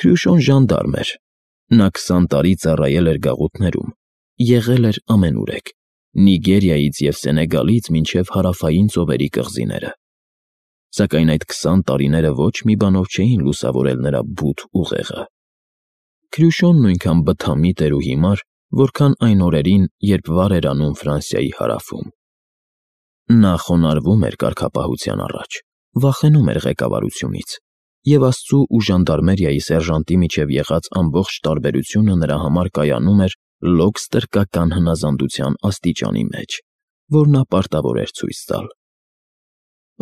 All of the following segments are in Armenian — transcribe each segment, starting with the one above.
Քրյուշոն ժանդարմ էր։ Նա 20 տարի ծառայել էր գաղութներում, եղել էր ամենուրեք, Նիգերիայից և Սենեգալից մինչև հարավային ծովերի կղզիները։ Սակայն այդ 20 տարիները ոչ մի բանով չէին լուսավորել նրա բութ ուղեղը։ Քրյուշոն նույնքան բթամիտ էր ու հիմար, որքան այն օրերին, երբ վար էր անում Ֆրանսիայի հարավում։ Նա խոնարհվում էր կարգապահության առաջ, վախենում էր ղեկավարությունից, և Աստծու ու ժանդարմերիայի սերժանտի միջև եղած ամբողջ տարբերությունը նրա համար կայանում էր լոկ-ստրկական հնազանդության աստիճանի մեջ, որ նա պարտավոր էր ցույց տալ։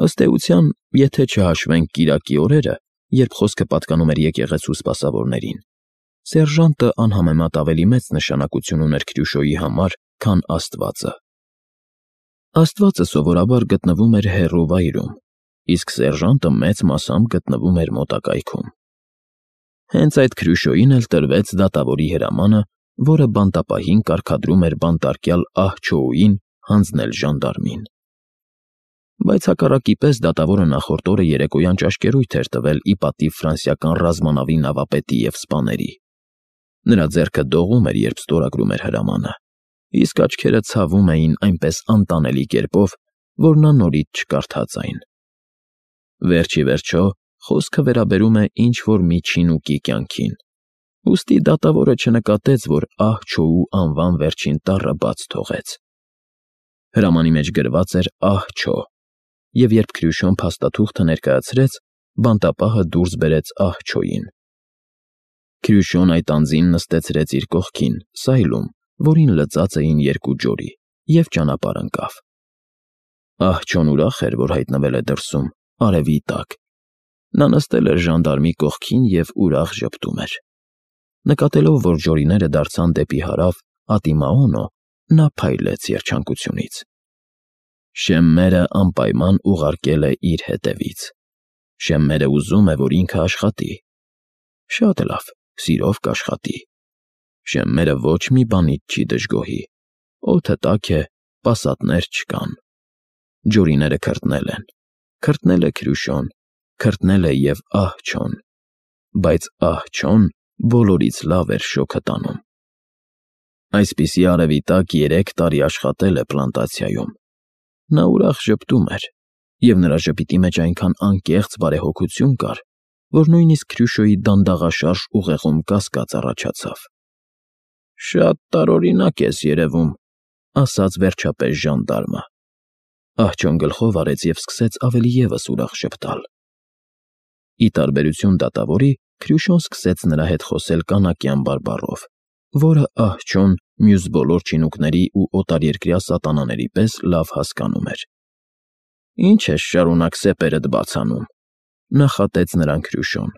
Ըստ էության, եթե չհաշվենք կիրակի օրերը, երբ խոսքը պատկանում էր եկեղեցու սպասավորներին, սերժանտը անհամեմատ ավելի մեծ նշանակություն ուներ Քրյուշոյի համար, քան Աստվածը։ Աստվածը սովորաբար գտնվում էր հեռու վայրում, իսկ սերժանտը մեծ մասամբ գտնվում էր մոտակայքում։ Հենց այդ Քրյուշոյին էլ տրվեց դատավորի հրամանը, որը բանտապահին կարգադրում էր բանտարկյալ ահ-Չոուին հանձնել ժանդարմին։ Բայց հակառակի պես դատավորը նախորդ օրը երեկոյան ճաշկերույթ էր տվել ի պատիվ ֆրանսիական ռազմանավի նավապետի և սպաների։ Նրա ձեռքը դողում էր, երբ ստորագրում էր հրամանը, իսկ աչքերը ցավում էին այնպես անտանելի կերպով, որ նա նորից չկարդաց այն։ Վերջ ի վերջո, խոսքը վերաբերում է ինչ-որ մի չինուկի կյանքին, ուստի դատավորը չնկատեց, որ ահ-Չոու անվան վերջին տառը բաց թողեց։ Հրամանի մեջ գրված էր ահ-Չո, և երբ Քրյուշոն փաստաթուղթը ներկայացրեց, բանտապահը դուրս բերեց ահ-Չոյին։ Քրյուշոն այդ անձին նստեցրեց իր կողքին, սայլում, որին լծած էին 2 ջորի, և ճանապարհ ընկավ։ Ահ-Չոն ուրախ էր, որ հայտնվել է դրսում, արևի տակ։ Նա նստել էր ժանդարմի կողքին և ուրախ ժպտում էր։ Նկատելով, որ ջորիները դարձան դեպի հարավ, Ատիմաոնո, նա փայլեց երջանկությունից։ Շեմմերը անպայման ուղարկել է իր հետևից։ Շեմմերը ուզում է, որ ինքը աշխատի։ Շատ լավ, սիրով կաշխատի։ Շեմմերը ոչ մի բանից չի դժգոհի։ Օդը տաք է, պասատներ չկան։ Ջորիները քրտնել են։ Քրտնել է Քրյուշոն, քրտնել է և ահ-Չոն, բայց ահ-Չոն բոլորից լավ էր շոգը տանում։ Այսպիսի արևի տակ 3 տարի աշխատել է պլանտացիայում։ Նա ուրախ ժպտում էր, և նրա ժպիտի մեջ այնքան անկեղծ բարեհոգություն կար, որ նույնիսկ Քրյուշոյի դանդաղաշարժ ուղեղում կասկած առաջացավ։ «Շատ տարօրինակ ես երևում», ասաց վերջապես ժանդարմը։ Ահ-Չոն գլխով արեց և սկսեց ավելի ևս ուրախ ժպտալ։ Ի տարբերություն դատավորի, Քրյուշոն սկսեց նրա հետ խոսել կանակյան բարբառով, որը ահ-Չոն մյուս բոլոր չինուկների ու օտարերկրյա սատանաների պես լավ հասկանում էր։ «Ինչ ես շարունակ սեպերդ բաց անում», նախատեց նրան Քրյուշոն։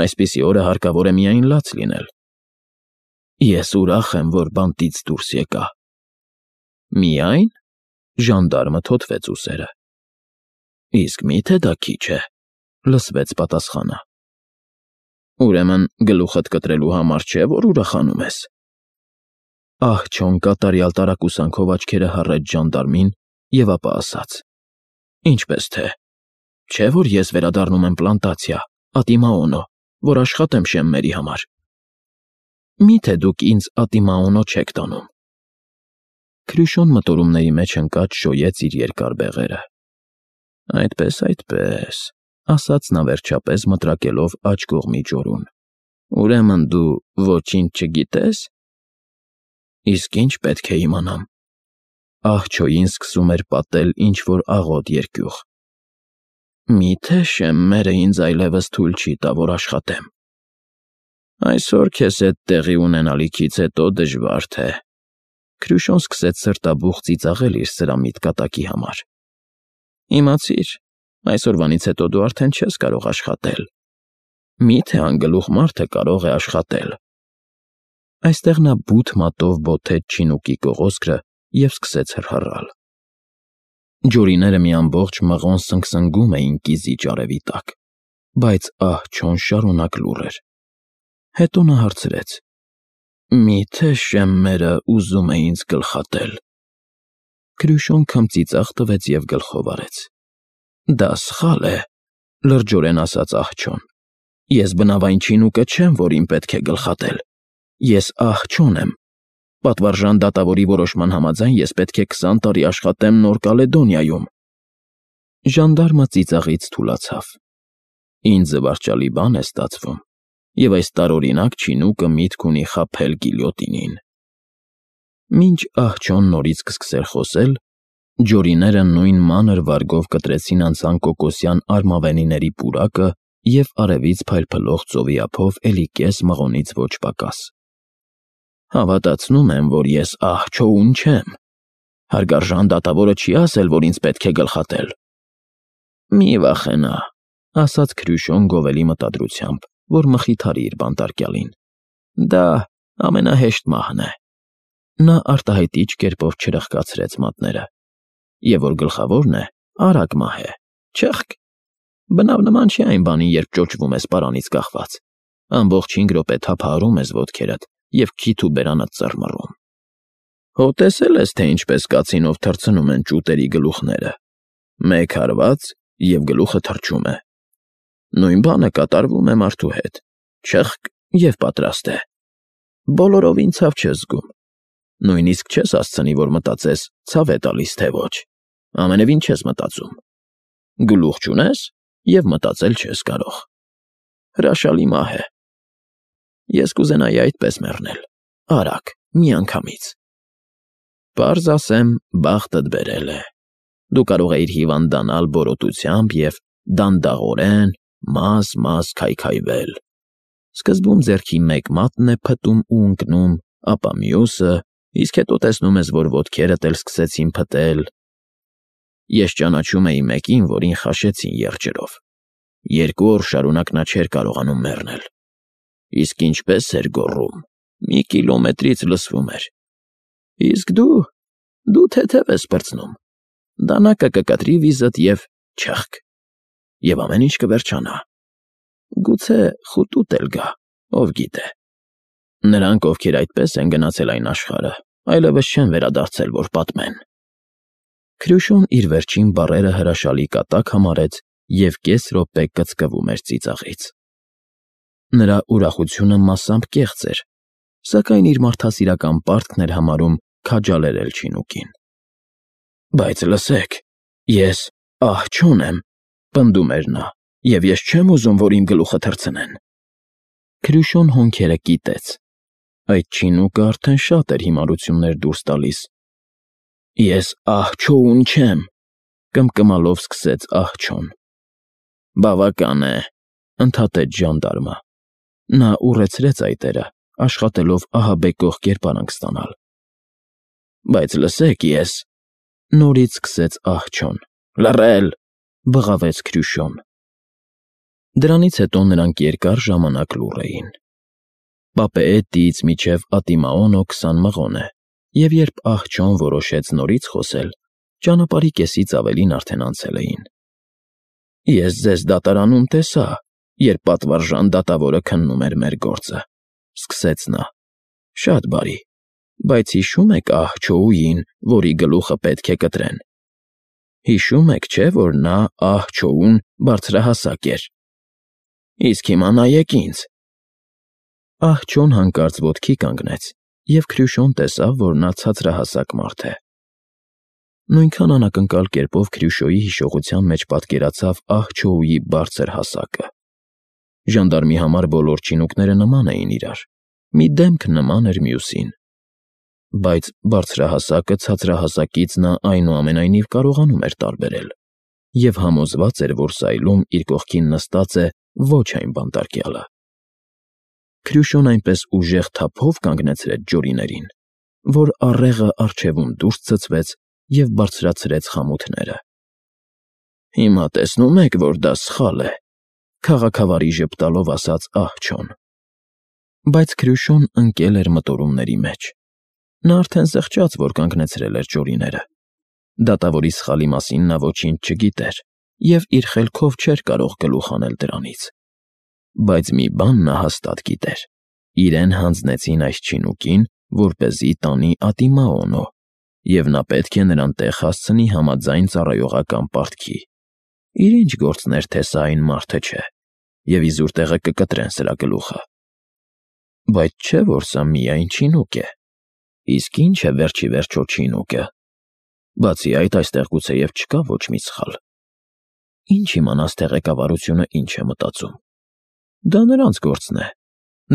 «Այսպիսի օրը հարկավոր է միայն լաց լինել»։ «Ես ուրախ եմ, որ բանտից դուրս եկա»։ «Միայն»։ Ժանդարմը թոթվեց ուսերը։ «Իսկ մի՞թե դա քիչ է», լսվեց պատասխանը։ «Ուրեմն գլուխդ կտրելու համար չէ, որ ուրախանում ես»։ Ահ-Չոն կատարյալ տարակուսանքով աչքերը հառեց ժանդարմին և ապա ասաց. «Ինչպես թե, չէ՞ որ ես վերադառնում եմ պլանտացիա, Ատիմաոնո, որ աշխատեմ Շեմմերի համար։ Մի՞թե դուք ինձ Ատիմաոնո չեք տանում»։ Քրյուշոն մտորումների մեջ ընկած շոյեց իր երկար բեղերը։ Այդպես, ասաց նա վերջապես մտրակելով աջ կողմի ջորուն։ Ուրեմն դու ոչինչ չգիտես։ Իսկ ինչ պետք է իմանամ։ Ահ-Չոյին սկսում էր պատել ինչ-որ աղոտ երկյուղ։ Մի՞թե Շեմմերը ինձ այլևս թույլ չի տա, որ աշխատեմ։ Այսօր քեզ հետ տեղի ունենալիքից հետո դժվար թե։ Քրյուշոն սկսեց սրտաբուխ ծիծաղել իր սրամիտ կատակի համար։ Իմացիր, այսօրվանից հետո դու արդեն չես կարող աշխատել։ Մի՞թե անգլուխ մարդը կարող է աշխատել։ Այստեղ նա բութ մատով բոթեց չինուկի կողոսկրը և սկսեց հռհռալ։ Ջորիները մի ամբողջ մղոն սնգսնգում էին կիզիչ արևի տակ, բայց ահ-Չոն շարունակ լուռ էր։ Հետո նա հարցրեց. Մի՞թե Շեմմերը ուզում է ինձ գլխատել։ Քրյուշոն քմծիծաղ տվեց և գլխով արեց։ Դա սխալ է, լրջորեն ասաց ահ-Չոն։ Ես բնավ այն չինուկը չեմ, որին պետք է գլխատել։ Ես աղջոն եմ։ Պատվարժան դատավորի որոշման համաձայն ես պետք է 20 տարի աշխատեմ Նոր Կալեդոնիայում։ Ժանդարմը ծիծաղից թուլացավ։ Ինձ զվարճալի բան է ստացվում, եւ այս տարօրինակ չինուկը միտք ունի խաբել գիլյոտինին։ Մինչ աղջոն նորից կսկսեր խոսել, ջորիները նույն մանր վարգով կտրեցին անցան կոկոսյան արմավենիների պուրակը և արևից փայլփլող ծովի ափով էլի կես մղոնից ոչ պակաս։ Հավատացնում եմ, որ ես աղջոուն չեմ։ Հարգարժան դատավորը չի ասել, որ ինձ պետք է գլխատել։ Մի վախենա, ասաց Քրյուշոն գովելի մտադրությամբ, որ մխիթարի իր բանտարկյալին։ Դա ամենահեշտ մահն է։ Նա արտահայտիչ կերպով չրխկացրեց մատները։ Եվ որ գլխավորն է, արագ մահ է, չըխկ։ Բնավ նման չի այն բանին, երբ ճոճվում ես պարանից կախված։ Ամբողջ 5 րոպե թափահարում ես ոտքերդ և քիթ ու բերանդ ծռմռում։ Հո տեսել ես, թե ինչպես կացինով թռցնում են ճուտերի գլուխները։ Մեկ հարված և գլուխը թռչում է։ Նույն բանը կատարվում է մարդու հետ։ Չըխկ և պատրաստ է։ Բոլորովին ցավ չես զգում։ Նույնիսկ չես հասցնի, որ մտածես ցավ է տալիս, թե ոչ։ Ամենևին չես մտածում։ Գլուխ չունես և մտածել չես կարող։ Հրաշալի մահ է։ Ես կուզենայի այդպես մեռնել, արագ, միանգամից։ Պարզ ասեմ, բախտդ բերել է։ Դու կարող էիր հիվանդանալ բորոտությամբ և դանդաղորեն, մաս քայքայվել։ Սկզբում ձեռքի մեկ մատն է փտում ու ընկնում, ապա մյուսը, իսկ հետո տեսնում ես, որ ոտքերդ էլ սկսեցին փտել։ Ես ճանաչում էի մեկին, որին խաշեցին եղջերով։ 2 օր շարունակ նա չէր կարողանում մեռնել։ Իսկ ինչպես էր գոռում, մի կիլոմետրից լսվում էր։ Իսկ դու թեթև ես պրծնում։ Դանակը կկտրի վիզդ և չըխկ։ Եվ ամեն ինչ կվերջանա։ Գուցե խուտուտ էլ գա, ով գիտե։ Նրանք, ովքեր այդպես են գնացել այն աշխարհը, այլևս չեն վերադարձել, որ պատմեն։ Քրյուշոն իր վերջին բառերը հրաշալի կատակ համարեց և կես րոպե կծկվում էր ծիծաղից։ Նրա ուրախությունը մասամբ կեղծ էր, սակայն իր մարդասիրական պարտքն էր համարում քաջալերել չինուկին։ Բայց լսեք, ես աղջոն եմ, պնդում էր նա, և ես չեմ ուզում, որ իմ գլուխը թռցնեն։ Քրյուշոն հոնքերը կիտեց։ Այդ չինուկը արդեն շատ էր հիմարություններ դուրս տալիս։ Ես աղջոուն չեմ, կմկմալով սկսեց աղջոն։ Բավական է, ընդհատեց ժանդարմը։ Նա ուռեցրեց այտերը, աշխատելով ահաբեկող կերպարանք ստանալ։ Բայց լսեք, ես… Նորից սկսեց աղջոն։ Լռել, բղավեց Քրյուշոն։ Դրանից հետո նրանք երկար ժամանակ լուռ էին։ Պապեետից մինչև Ատիմաոնո 20 մղոն է, և երբ աղջոն որոշեց նորից խոսել, ճանապարհի կեսից ավելին արդեն անցել էին։ Ես ձեզ դատարանում տեսա, երբ պատվարժան դատավորը քննում էր մեր գործը, սկսեց նա։ Շատ բարի, բայց հիշո՞ւմ եք աղջոուին, որի գլուխը պետք է կտրեն։ Հիշում եք, չէ՞, որ նա աղջոուն բարձրահասակ էր։ Իսկ հիմա նայեք ինձ։ Աղջոն հանկարծ ոտքի կանգնեց, և Քրյուշոն տեսավ, որ նա ցածրահասակ մարդ է։ Նույնքան անակնկալ կերպով Քրյուշոյի հիշողության մեջ պատկերացավ աղջոուի բարձր հասակը։ Ժանդարմի համար բոլոր չինուկները նման էին իրար, մի դեմք նման էր մյուսին։ Բայց բարձրահասակը ցածրահասակից նա այնուամենայնիվ կարողանում էր տարբերել և համոզված էր, որ սայլում իր կողքին նստած է ոչ այն բանտարկյալը։ Քրյուշոն այնպես ուժեղ թափով կանգնեցրեց ջորիներին, որ առեղը առջևում դուրս ցցվեց և բարձրացրեց խամութները։ Հիմա տեսնում եք, որ դա սխալ է, քաղաքավարի ժպտալով ասաց աղջոն։ Բայց Քրյուշոն ընկել էր մտորումների մեջ։ Նա արդեն զղջաց, որ կանգնեցրել էր ջորիները։ Դատավորի սխալի մասին նա ոչինչ չգիտեր և իր խելքով չէր կարող գլուխ հանել դրանից։ Բայց մի բան նա հաստատ գիտեր. իրեն հանձնեցին այս չինուկին, որպեսզի տանի Ատիմաոնո, և նա պետք է նրան տեղ հասցնի համաձայն ծառայողական պարտքի։ Իր ինչ գործն էր, թե սա այն մարդը չէ։ և իզուր տեղը կկտրեն սրա գլուխը։ Բայց չէ՞ որ սա միայն չինուկ է։ Իսկ ի՞նչ է վերջ ի վերջո չինուկը։ Բացի այդ, այստեղ գուցեև չկա ոչ մի սխալ։ Ինչ իմանաս, թե ղեկավարությունը ինչ է մտածում։ Դա նրանց գործն է։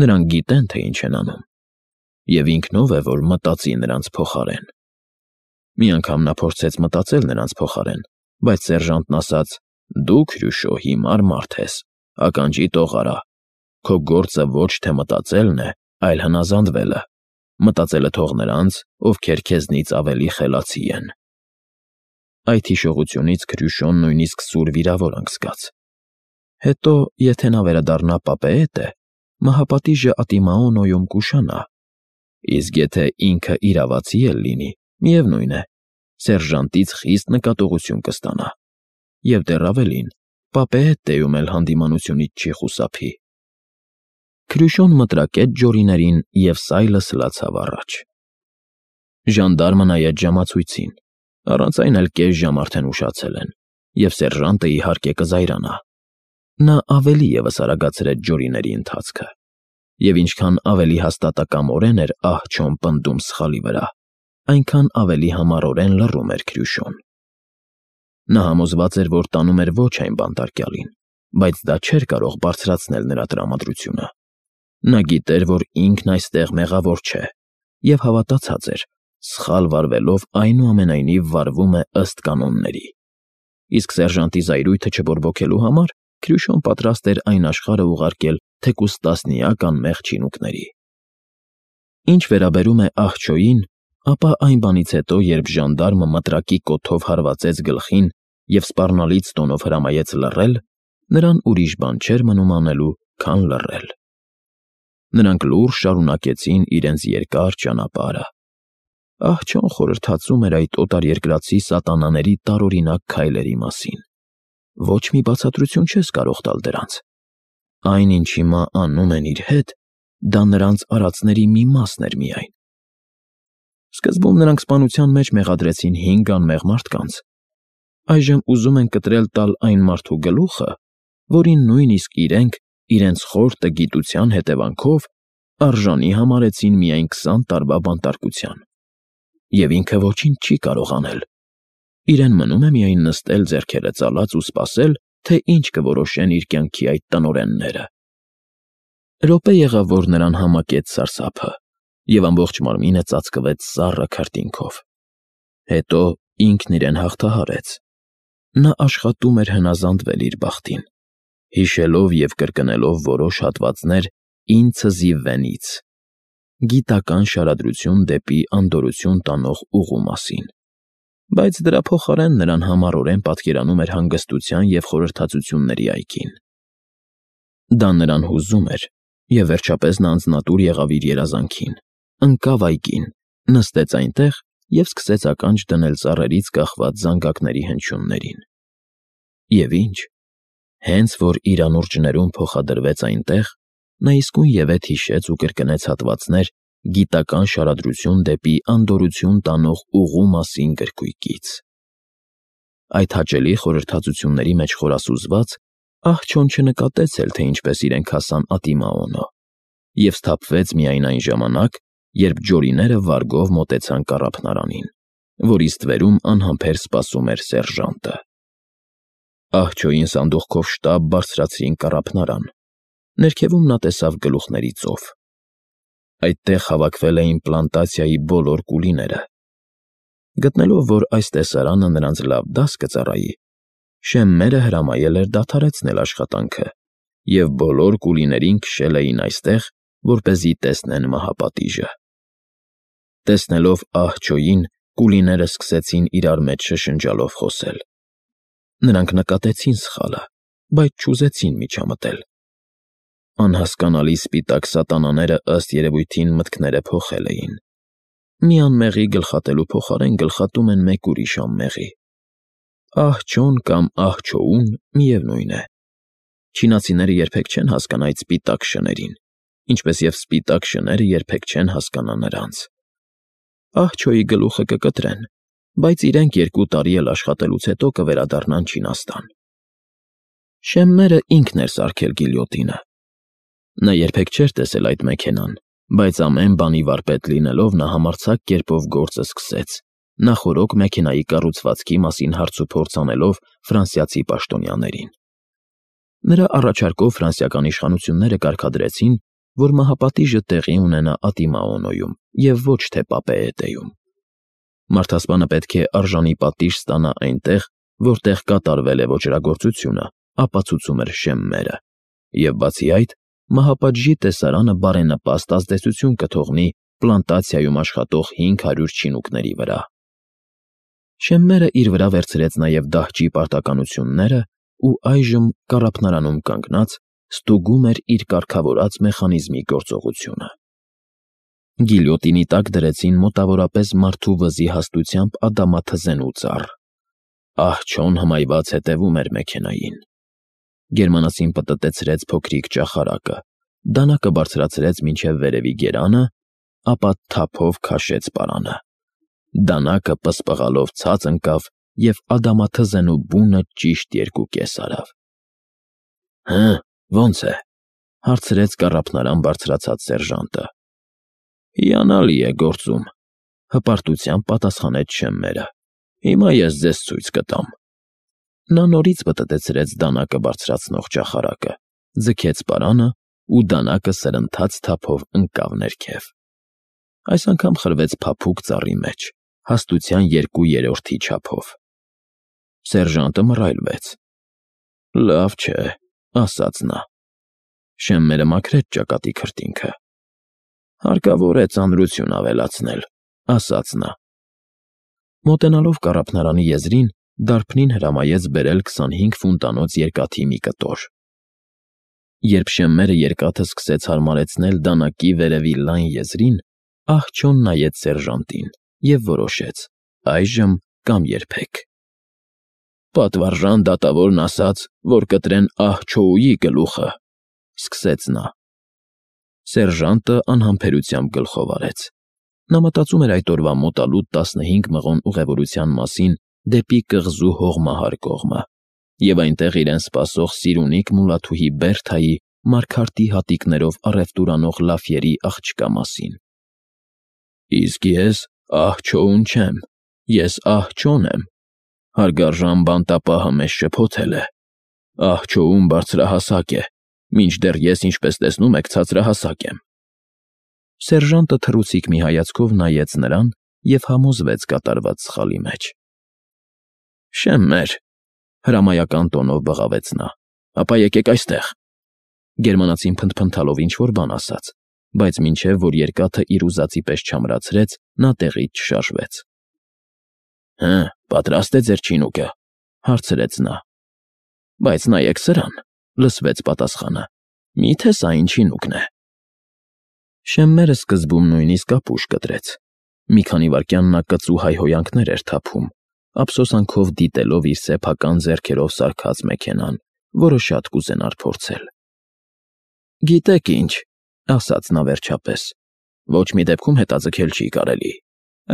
Նրանք գիտեն, թե ինչ են անում։ Եվ ինքն ով է, որ մտածի նրանց փոխարեն։ Մի անգամ նա փորձեց մտածել նրանց փոխարեն, բայց սերժանտն ասաց. «Դու, Քրյուշո, հիմար մարդ ես, ականջի տող արա։ Քո գործը ոչ թե մտածելն է, այլ հնազանդվելը։ Մտածելը թող նրանց, ովքեր քեզնից ավելի խելացի են»։ Այդ հիշողությունից Քրյուշոն նույնիսկ սուր վիրավորանք զգաց։ Հետո, եթե նա վերադառնա պապեետը, մահապատիժը Ատիմաոնոյում կուշանա։ Իսկ եթե ինքը իրավացի էլ լինի, միևնույն է, սերժանտից խիստ նկատողություն կստանա։ Եվ դեռ ավելին, պապեետեում էլ հանդիմանությունից չի խուսափի։ Քրյուշոն մտրակեց ջորիներին և սայլը սլացավ առաջ։ Ժանդարմը նայեց ժամացույցին։ Առանց այն էլ կես ժամ արդեն ուշացել են, և սերժանտը իհարկե կզայրանա։ Նա ավելի ևս արագացրեց ջորիների ընթացքը, և ինչքան ավելի հաստատակամորեն էր ահ-չոն պնդում սխալի վրա, այնքան ավելի համառորեն լռում էր Քրյուշոն։ Նա համոզված էր, որ տանում էր ոչ այն բանտարկյալին, բայց դա չէր կարող բարձրացնել նրա տրամադրությունը։ Նա գիտեր, որ ինքն այստեղ մեղավոր չէ, և հավատացած էր, սխալ վարվելով այնուամենայնիվ վարվում է ըստ կանոնների։ Իսկ սերժանտի զայրույթը չբորբոքելու համար Քրյուշոն պատրաստ էր այն աշխարհը ուղարկել թեկուզ տասնյակ անմեղ չինուկների։ Ինչ վերաբերում է աղջոյին, ապա այն բանից հետո, երբ ժանդարմը մտրակի կոթով հարվածեց գլխին և սպառնալից տոնով հրամայեց լռել, նրան ուրիշ բան չէր մնում անելու, քան լռել։ Նրանք լուրջ շարունակեցին իրենց երկար ճանապարհը։ Ահ-չոն խորհրդածում էր այդ օտարերկրացի սատանաների տարօրինակ քայլերի մասին։ Ոչ մի բացատրություն չես կարող տալ դրանց։ Այն, ինչ հիմա անում են իր հետ, դա նրանց արածների մի մասն էր միայն։ Սկզբում նրանք սպանության մեջ մեղադրեցին 5 անմեղ մարդկանց։ Այժմ ուզում են կտրել տալ այն մարդու գլուխը, որին նույնիսկ իրենք, իրենց խոր տգիտության հետևանքով, արժանի համարեցին միայն 20 տարվա բանտարկության։ Եվ ինքը ոչինչ չի կարող անել։ Իրեն մնում է միայն նստել ձեռքերը ծալած ու սպասել, թե ինչ կորոշեն իր կյանքի այդ տնօրենները։ Րոպե եղավ, որ նրան համակեց սարսափը, և ամբողջ մարմինը ծածկվեց սառը քրտինքով։ Հետո ինքն իրեն հաղթահարեց։ Նա աշխատում էր հնազանդվել իր բախտին, հիշելով և կրկնելով որոշ հատվածներ «Ինձ զիվվենից» գիտական շարադրություն դեպի անդորրություն տանող ուղու մասին։ Բայց դրա փոխարեն նրան համառորեն պատկերանում էր հանգստության և խորհրդածությունների այգին։ Դա նրան հուզում էր, և վերջապես նա անձնատուր եղավ իր երազանքին, ընկավ այգին, նստեց այնտեղ և սկսեց ականջ դնել ծառերից կախված զանգակների հնչյուններին։ Եվ ինչ, հենց որ իր անուրջներում փոխադրվեց այնտեղ, նա իսկույնևեթ հիշեց ու կրկնեց հատվածներ «Գիտական շարադրություն դեպի անդորրություն տանող ուղու» մասին գրքույկից։ Այդ հաճելի խորհրդածությունների մեջ խորասուզված, ահ-չոն չնկատեց էլ, թե ինչպես իրենք հասան Ատիմաոնո, և սթափվեց միայն այն ժամանակ, երբ ջորիները վարգով մոտեցան կառափնարանին, որի ստվերում անհամբեր սպասում էր սերժանտը։ Ահ-չոյին սանդուղքով շտապ բարձրացրին կառափնարան։ Ներքևում նա տեսավ գլուխների ծով։ Այդտեղ հավաքվել էին պլանտացիայի բոլոր կուլիները։ Գտնելով, որ այս տեսարանը նրանց լավ դաս կծառայի, շեմմերը հրամայել էր դադարեցնել աշխատանքը, և բոլոր կուլիներին քշել էին այստեղ, որպեսզի տեսնեն մահապատիժը։ Տեսնելով ահ-չոյին, կուլիները սկսեցին իրար մեջ շշնջալով խոսել։ Նրանք նկատեցին սխալը, բայց չուզեցին միջամտել։ Անհասկանալի սպիտակ սատանաները ըստ երևույթին մտքները փոխել էին։ Մի անմեղի գլխատելու փոխարեն գլխատում են մեկ ուրիշ անմեղի։ Ահ-չոն կամ ահ-չոուն միևնույն է։ Չինացիները երբեք չեն հասկանա այդ սպիտակ շներին, ինչպես և սպիտակ շները երբեք չեն հասկանա նրանց։ Ահ-չոյի գլուխը կկտրեն, բայց իրենք 2 տարի էլ աշխատելուց հետո կվերադառնան Չինաստան։ Շեմմերը ինքն էր սարքել գիլյոտինը։ Նա երբեք չէր տեսել այդ մեքենան, բայց ամեն բանի վարպետ լինելով նա համարձակ կերպով գործը սկսեց, նախօրոք մեքենայի կառուցվածքի մասին հարցուփորձ անելով ֆրանսիացի պաշտոնյաներին։ Նրա առաջարկով ֆրանսիական իշխանությունները կարգադրեցին, որ մահապատիժը տեղի ունենա Ատիմաոնոյում և ոչ թե Պապեետեում։ Մարդասպանը պետք է արժանի պատիժ ստանա այնտեղ, որտեղ կատարվել է ոճրագործությունը, ապացուցում էր Շեմմերը, և բացի այդ, մահապատժի տեսարանը բարենպաստ ազդեցություն կթողնի պլանտացիայում աշխատող 500 չինուկների վրա։ Շեմմերը իր վրա վերցրեց նաև դահճի պարտականությունները ու այժմ կառափնարանում կանգնած ստուգում էր իր կարգավորած մեխանիզմի գործողությունը։ Գիլյոտինի տակ դրեցին մոտավորապես մարդու վզի հաստությամբ ադամաթզենու ծառ։ Ահ-չոն հմայված հետևում էր մեքենային։ Գերմանացին պտտեցրեց փոքրիկ ճախարակը, դանակը բարձրացրեց մինչև վերևի գերանը, ապա թափով քաշեց պարանը։ Դանակը պսպղալով ցած ընկավ և ադամաթզենու բունը ճիշտ 2 արավ։ «Հը, ո՞նց է,֊ հարցրեց կառափնարան բարձրացած սերժանտը։ «Հիանալի է գործում,֊ հպարտությամբ պատասխանեց Շեմմերը։ Հիմա ես ձեզ ցույց կտամ»։ Նա նորից պտտեցրեց դանակը բարձրացնող ճախարակը, ձգեց պարանը ու դանակը սրընթաց թափով ընկավ ներքև։ Այս անգամ խրվեց փափուկ ծառի մեջ, հաստության 2/3 չափով։ Սերժանտը մռայլվեց։ «Լավ չէ,֊ ասաց նա»։ Շեմմերը մաքրեց ճակատի քրտինքը։ «Հարկավոր է ծանրություն ավելացնել,֊ ասաց նա»։ Մոտենալով կառափնարանի եզրին, դարբնին հրամայեց բերել 25 ֆունտանոց երկաթի մի կտոր։ Երբ Շեմմերը երկաթը սկսեց հարմարեցնել դանակի վերևի լայն եզրին, ահ-չոն նայեց սերժանտին և որոշեց. այժմ կամ երբեք։ «Պատվարժան դատավորն ասաց, որ կտրեն ահ-չոուի գլուխը,֊ սկսեց նա։ Սերժանտը անհամբերությամբ գլխով արեց։ Նա մտածում էր այդ օրվա մոտալուտ 15 մղոն ուղևորության մասին դեպի կղզու հողմահար կողմը և այնտեղ իրեն սպասող Սիրունիկ Մուլաթուհի Բերթայի մարգարտի հատիկներով առևտուրանող Լաֆյերի աղջկա մասին։ «Իսկ ես ահ-չոուն չեմ, ես ահ-չոն եմ,֊ հարգարժան բանտապահը մեզ շփոթել է։ Ահ-չոուն բարձրահասակ է, մինչդեռ ես, ինչպես տեսնում եք, ցածրահասակ եմ»։ Սերժանտը թռուցիկ մի հայացքով նայեց նրան և համոզվեց կատարված սխալի մեջ։ «Շեմմեր,֊ հրամայական տոնով բղավեց նա,֊ ապա եկեք այստեղ»։ Գերմանացին փնթփնթալով ինչ-որ բան ասաց, բայց մինչև որ երկաթը իր ուզածի պես չամրացրեց, նա տեղից չշարժվեց։ «Հը, պատրաստ է ձեր չինուկը,֊ հարցրեց նա։ «Բայց նայեք սրան,֊ լսվեց պատասխանը,֊ մի՞թե սա ինչ չինուկն է»։ Շեմմերը սկզբում նույնիսկ ապուշ կտրեց։ Մի քանի վայրկյան նա կծու հայհոյանքներ էր թափում, ափսոսանքով դիտելով իր սեփական ձեռքերով սարքած մեքենան, որը շատ կուզենար փորձել։ «Գիտեք ինչ,֊ ասաց նա վերջապես,֊ ոչ մի դեպքում հետաձգել չի կարելի։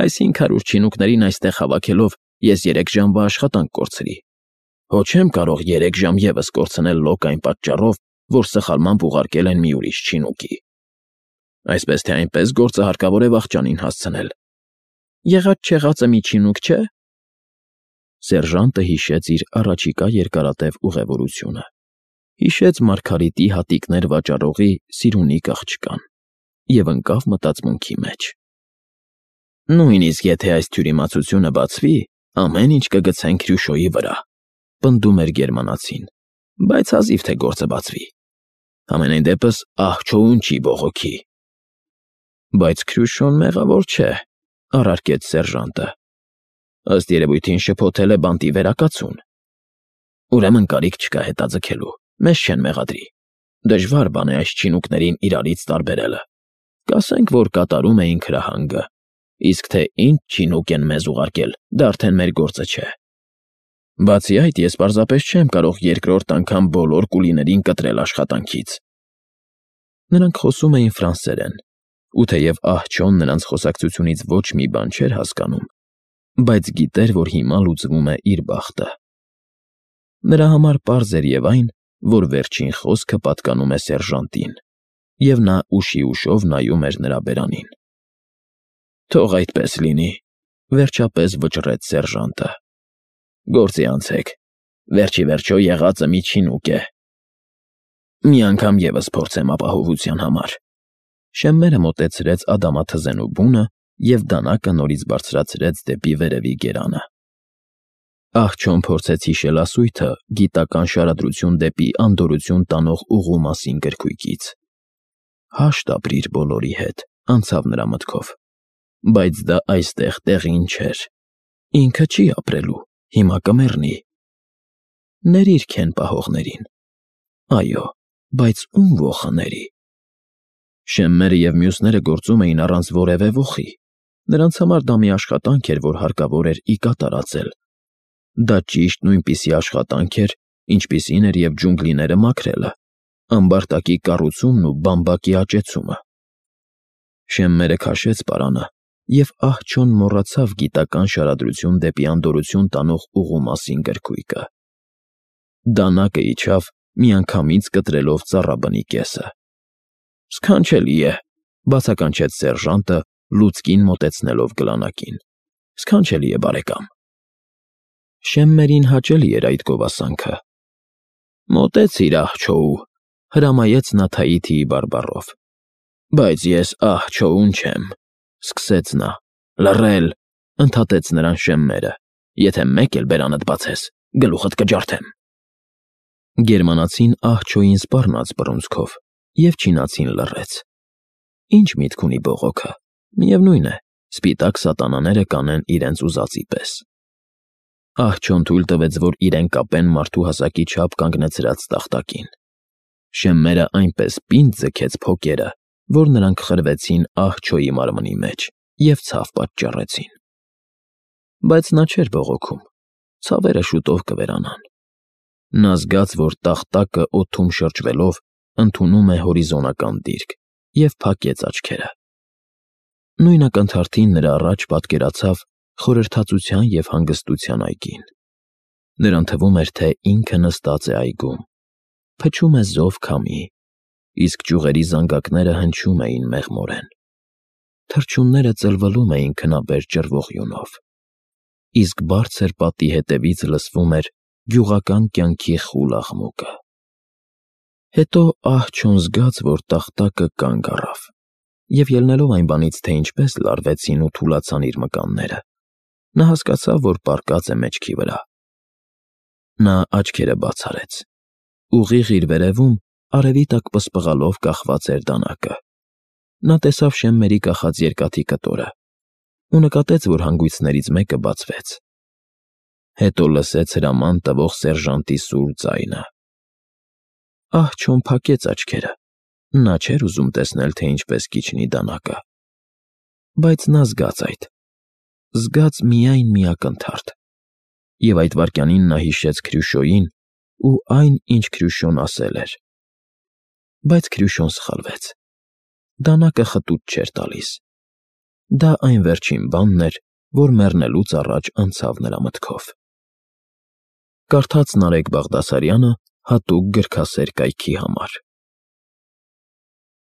Այս 500 չինուկներին այստեղ հավաքելով ես 3 ժամվա աշխատանք կորցրի։ Հո չեմ կարող 3 ժամ ևս կորցնել լոկ այն պատճառով, որ սխալմամբ ուղարկել են մի ուրիշ չինուկի։ Այսպես թե այնպես գործը հարկավոր է վախճանին հասցնել։ Եղած-չեղածը մի չինուկ չէ՞։ Սերժանտը հիշեց իր առաջիկա երկարատև ուղևորությունը։ Հիշեց Մարգարիտի հատիկներ վաճառողի Սիրունիկ աղջկան և ընկավ մտածմունքի մեջ։ «Նույնիսկ եթե այս թյուրիմացությունը բացվի, ամեն ինչ կգցենք Քրյուշոյի վրա,֊ պնդում էր գերմանացին,֊ բայց հազիվ թե գործը բացվի։ Համենայն դեպս ահ-չոուն չի բողոքի»։ «Բայց Քրյուշոն մեղավոր չէ,֊ առարկեց սերժանտը։ Ըստ երևույթին շփոթել է բանտի վերակացուն։ Ուրեմն կարիք չկա հետաձգելու, մեզ չեն մեղադրի։ Դժվար բան է այս չինուկներին իրարից տարբերելը։ Կասենք, որ կատարում էին քրահանգը, իսկ թե ինչ չինուկ են մեզ ուղարկել, դա արդեն մեր գործը չէ։ Բացի այդ, ես պարզապես չեմ կարող երկրորդ անգամ բոլոր կուլիներին կտրել աշխատանքից»։ Նրանք խոսում էին ֆրանսերեն, ու թեև ահ-չոն նրանց խոսակցությունից ոչ մի բան չէր հասկանում, բայց գիտեր, որ հիմա լուծվում է իր բախտը։ Նրա համար պարզ էր և այն, որ վերջին խոսքը պատկանում է սերժանտին, և նա ուշիուշով նայում էր նրա բերանին։ «Թող այդպես լինի», վերջապես վճռեց սերժանտը։ «Գործի անցեք, վերջ ի վերջո եղածը միջին ուկ է»։ «Մի անգամ ևս փորձեմ ապահովության համար»։ Շեմմերը մոտեցրեց ադամաթզենու բունը և դանակը նորից բարձրացրեց դեպի վերևի գերանը։ Աղջոն փորձեց հիշել ասույթը գիտական շարադրություն դեպի անդորրություն տանող ուղու մասին գրքույկից։ «Հաշտ ապրիր բոլորի հետ», անցավ նրա մտքով, բայց դա այստեղ տեղին չէր։ Ինքը չի ապրելու, հիմա կմեռնի։ Ներիր քեն պահողներին։ Այո, բայց ում ոխը ների։ Շեմմերը և մյուսները գործում էին առանց որևէ ոխի։ Նրանց համար դա մի աշխատանք էր, որ հարկավոր էր ի կատարածել։ Դա ճիշտ նույնպիսի աշխատանք էր, ինչպիսին էր և ջունգլիները մաքրելը, ամբարտակի կառուցումն ու բամբակի աճեցումը։ Շեմմերը քաշեց պարանը, և ահջոն մոռացավ գիտական շարադրություն դեպի անդորրություն տանող ուղու մասին գրքույկը։ Դանակը իջավ, միանգամից կտրելով ծառաբնի կեսը։ «Սքանչելի է», բացականչեց սերժանտը, լուցկին մոտեցնելով գլանակին։ «Սքանչելի է, բարեկամ»։ Շեմմերին հաճելի էր այդ գովասանքը։ «Մոտեցիր, ահ-չոու», հրամայեց նա Թաիթիի բարբառով։ «Բայց ես ահ-չոուն չեմ», սկսեց նա։ «Լռել», ընդհատեց նրան Շեմմերը։ «Եթե մեկ էլ բերանդ բացես, գլուխդ կջարդեմ»։ Գերմանացին ահ-չոյին սպառնաց բռունցքով, և չինացին լռեց։ Ինչ միտք ունի բողոքը, միևնույն է, սպիտակ սատանաները կանեն իրենց ուզածի պես։ Ահջոն թույլ տվեց, որ իրեն կապեն մարդու հասակի չափ կանգնեցրած տախտակին։ Շեմմերը այնպես պինդ ձգեց փոկերը, որ նրանք խրվեցին ահ-չոյի մարմնի մեջ և ցավ պատճառեցին։ Բայց նա չէր բողոքում, ցավերը շուտով կվերանան։ Նա զգաց, որ տախտակը օդում շրջվելով ընդունում է հորիզոնական դիրք, և փակեց աչքերը։ Նույն ակնթարթին նրա առաջ պատկերացավ խորհրդածության և հանգստության այգին։ Նրան թվում էր, թե ինքը նստած է այգում, փչում է զով քամի, իսկ ճյուղերի զանգակները հնչում էին մեղմորեն։ Թռչունները ծլվլում էին քնաբեր ջրվող յունով, իսկ բարձր պատի հետևից լսվում էր գյուղական կյանքի խուլ աղմուկը։ Հետո ահջոն զգաց, որ տախտակը կանգ առավ, և ելնելով այն բանից, թե ինչպես լարվեցին ու թուլացան իր մկանները, նա հասկացավ, որ պառկած է մեջքի վրա։ Նա աչքերը բաց արեց։ Ուղիղ իր վերևում արևի տակ պսպղալով կախված էր դանակը։ Նա տեսավ Շեմմերի կախած երկաթի կտորը ու նկատեց, որ հանգույցներից մեկը բացվեց։ Հետո լսեց հրաման տվող սերժանտի սուր ձայնը։ Ահջոն փակեց աչքերը։ Նա չէր ուզում տեսնել, թե ինչպես կիջնի դանակը։ Բայց նա զգաց այդ։ Զգաց միայն մի ակնթարթ։ Եվ այդ վայրկյանին նա հիշեց Քրյուշոյին ու այն, ինչ Քրյուշոն ասել էր։ Բայց Քրյուշոն սխալվեց։ Դանակը խտուց չէր տալիս։ Դա այն վերջին բանն էր, որ մեռնելուց առաջ անցավ նրա մտքով։ Կարդաց Նարեկ Բաղդասարյանը հատուկ գրքասեր կայքի համար։